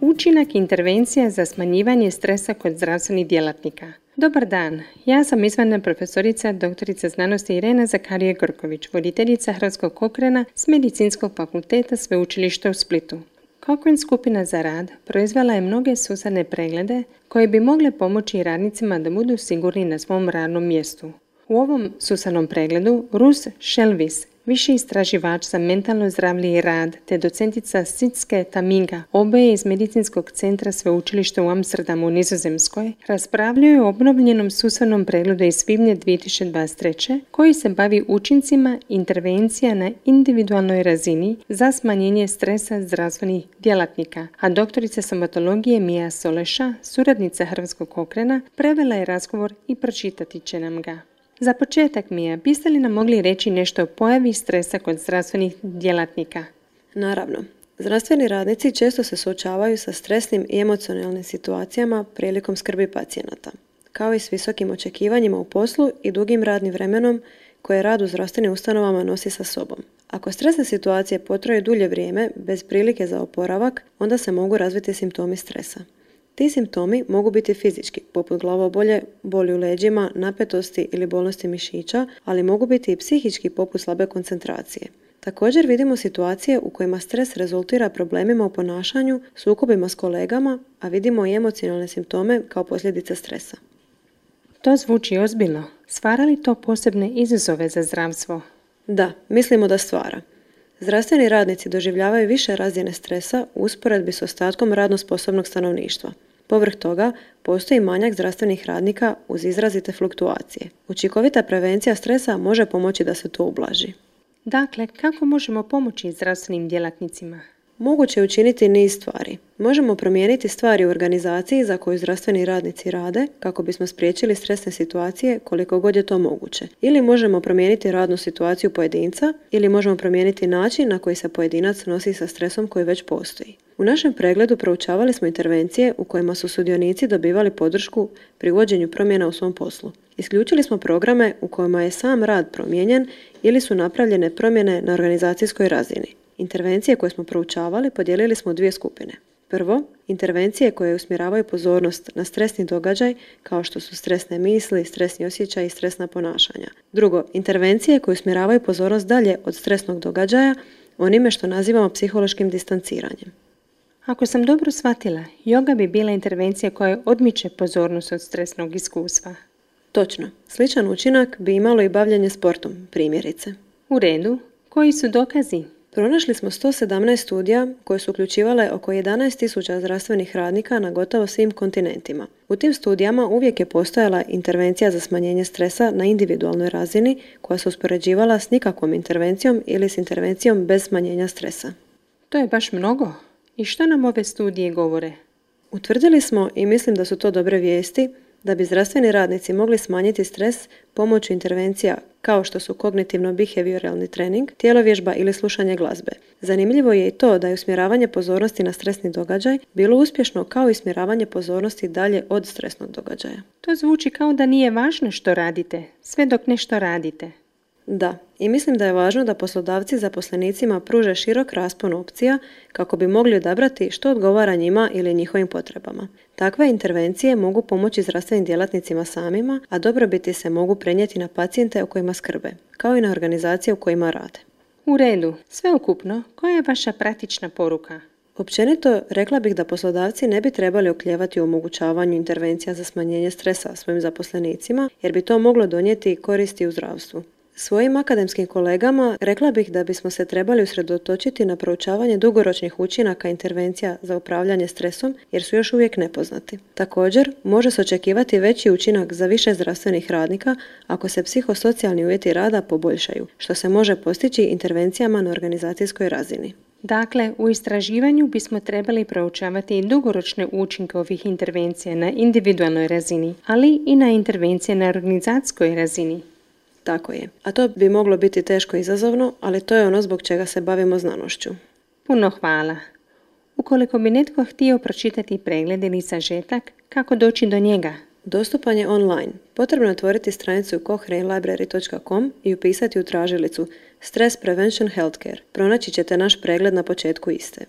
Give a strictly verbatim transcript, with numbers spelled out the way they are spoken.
Učinak intervencija za smanjivanje stresa kod zdravstvenih djelatnika. Dobar dan, ja sam izvanredna profesorica doktorica znanosti Irena Zakarije-Grković, voditeljica Hrvatskog Cochrana s Medicinskog fakulteta Sveučilišta u Splitu. Cochrane skupina za rad proizvela je mnoge sustavne preglede koje bi mogle pomoći radnicima da budu sigurni na svom radnom mjestu. U ovom sustavnom pregledu Rus Šelvis, viši istraživač za mentalno zdravlje i rad, te docentica Sitske Taminga, oboje iz Medicinskog centra Sveučilišta u Amsterdamu u Nizozemskoj, raspravljaju o obnovljenom sustavnom pregledu iz svibnja dvije tisuće dvadeset treće koji se bavi učincima intervencija na individualnoj razini za smanjenje stresa zdravstvenih djelatnika, a doktorica somatologije Mija Soleša, suradnica Hrvatskog Cochrana, prevela je razgovor i pročitati će nam ga. Za početak, Mija, biste li nam mogli reći nešto o pojavi stresa kod zdravstvenih djelatnika? Naravno. Zdravstveni radnici često se suočavaju sa stresnim i emocionalnim situacijama prilikom skrbi pacijenata, kao i s visokim očekivanjima u poslu i dugim radnim vremenom koje rad u zdravstvenim ustanovama nosi sa sobom. Ako stresne situacije potraju dulje vrijeme bez prilike za oporavak, onda se mogu razviti simptomi stresa. Ti simptomi mogu biti fizički, poput glavobolje, boli u leđima, napetosti ili bolnosti mišića, ali mogu biti i psihički, poput slabe koncentracije. Također vidimo situacije u kojima stres rezultira problemima u ponašanju, sukobima s kolegama, a vidimo i emocionalne simptome kao posljedice stresa. To zvuči ozbiljno. Stvara li to posebne izazove za zdravstvo? Da, mislimo da stvara. Zdravstveni radnici doživljavaju više razine stresa u usporedbi s ostatkom radno sposobnog stanovništva. Povrh toga, postoji manjak zdravstvenih radnika uz izrazite fluktuacije. Učinkovita prevencija stresa može pomoći da se to ublaži. Dakle, kako možemo pomoći zdravstvenim djelatnicima? Moguće je učiniti niz stvari. Možemo promijeniti stvari u organizaciji za koju zdravstveni radnici rade kako bismo spriječili stresne situacije koliko god je to moguće. Ili možemo promijeniti radnu situaciju pojedinca ili možemo promijeniti način na koji se pojedinac nosi sa stresom koji već postoji. U našem pregledu proučavali smo intervencije u kojima su sudionici dobivali podršku pri uvođenju promjena u svom poslu. Isključili smo programe u kojima je sam rad promijenjen ili su napravljene promjene na organizacijskoj razini. Intervencije koje smo proučavali podijelili smo u dvije skupine. Prvo, intervencije koje usmjeravaju pozornost na stresni događaj kao što su stresne misli, stresni osjećaji i stresna ponašanja. Drugo, intervencije koje usmjeravaju pozornost dalje od stresnog događaja onime što nazivamo psihološkim distanciranjem. Ako sam dobro shvatila, joga bi bila intervencija koja odmiče pozornost od stresnog iskustva. Točno. Sličan učinak bi imalo i bavljenje sportom, primjerice. U redu. Koji su dokazi? Pronašli smo sto sedamnaest studija koje su uključivale oko jedanaest tisuća zdravstvenih radnika na gotovo svim kontinentima. U tim studijama uvijek je postojala intervencija za smanjenje stresa na individualnoj razini koja se uspoređivala s nikakvom intervencijom ili s intervencijom bez smanjenja stresa. To je baš mnogo. I što nam ove studije govore? Utvrdili smo, i mislim da su to dobre vijesti, da bi zdravstveni radnici mogli smanjiti stres pomoću intervencija kao što su kognitivno-behavioralni trening, tjelovježba ili slušanje glazbe. Zanimljivo je i to da je usmjeravanje pozornosti na stresni događaj bilo uspješno kao i usmjeravanje pozornosti dalje od stresnog događaja. To zvuči kao da nije važno što radite, sve dok nešto radite. Da, i mislim da je važno da poslodavci zaposlenicima pruže širok raspon opcija kako bi mogli odabrati što odgovara njima ili njihovim potrebama. Takve intervencije mogu pomoći zdravstvenim djelatnicima samima, a dobrobiti se mogu prenijeti na pacijente o kojima skrbe, kao i na organizacije u kojima rade. U redu, sveukupno, koja je vaša praktična poruka? Općenito, rekla bih da poslodavci ne bi trebali oklijevati u omogućavanju intervencija za smanjenje stresa svojim zaposlenicima, jer bi to moglo donijeti koristi u zdravstvu. Svojim akademskim kolegama rekla bih da bismo se trebali usredotočiti na proučavanje dugoročnih učinaka intervencija za upravljanje stresom jer su još uvijek nepoznati. Također, može se očekivati veći učinak za više zdravstvenih radnika ako se psihosocijalni uvjeti rada poboljšaju, što se može postići intervencijama na organizacijskoj razini. Dakle, u istraživanju bismo trebali proučavati i dugoročne učinke ovih intervencija na individualnoj razini, ali i na intervencije na organizacijskoj razini. Tako je. A to bi moglo biti teško i izazovno, ali to je ono zbog čega se bavimo znanošću. Puno hvala. Ukoliko bi netko htio pročitati pregled ili sažetak, kako doći do njega? Dostupan je online. Potrebno je otvoriti stranicu cochrane library dot com i upisati u tražilicu Stress Prevention Healthcare. Pronaći ćete naš pregled na početku iste.